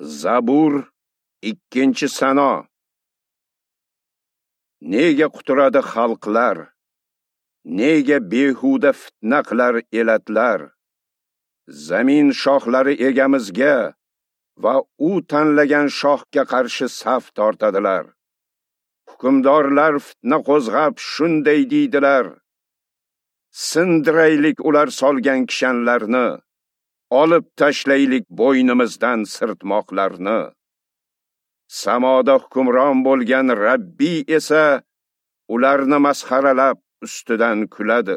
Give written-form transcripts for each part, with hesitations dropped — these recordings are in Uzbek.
Zabur 2-sano. Nega quturadi xalqlar? Nega behuda fitna qilar elatlar? Zamin shohlari egamizga va u tanlagan shohga qarshi saf tortadilar. Hukmdorlar fitna qo'zg'ab shunday deydilar: Sindiraylik ular solgan kishanlarni, olib tashlaylik bo'ynimizdan sirtmoqlarni. Samoda hukmron bo'lgan Rabbiy esa ularni masxaralab ustidan kuladi.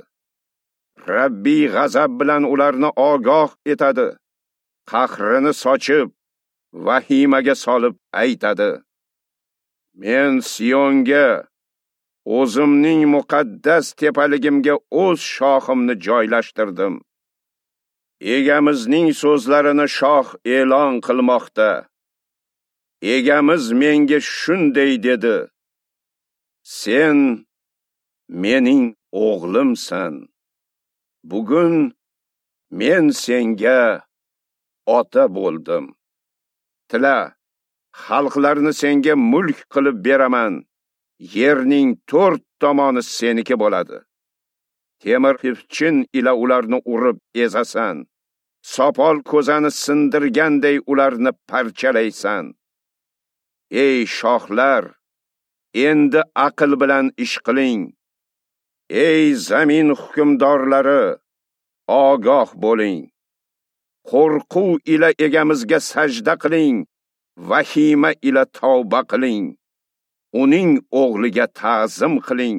Rabbiy g'azab bilan ularni ogoh etadi, qahrini sochib, vahimaga solib aytadi: Men Siyonga, o'zimning muqaddas tepaligimga o'z shoximni joylashtirdim. Egamizning so'zlarini shoh e'lon qilmoqda. Egamiz menga shunday dedi: Sen mening o'g'limsan. Bugun men senga ota bo'ldim. Tila, xalqlarni senga mulk qilib beraman. Yerning to'rt tomoni seniki bo'ladi. Temir xipchin ila ularni urib ezasan. Sopol ko'zani sindirganday ularni parchalaysan. Ey shohlar, endi aql bilan ish qiling. Ey zamin hukmdorlari, ogoh bo'ling. Qo'rquv ila egamizga sajda qiling, vahima ila tavba qiling. Uning o'g'liga ta'zim qiling.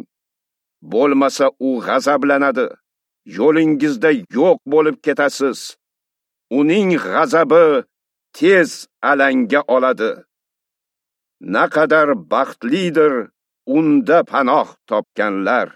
Bo'lmasa u g'azablanadi. Yo'lingizda yo'q bo'lib ketasiz. Uning g'azabi tez alanga oladi. Naqadar baxtlidir unda panoh topganlar.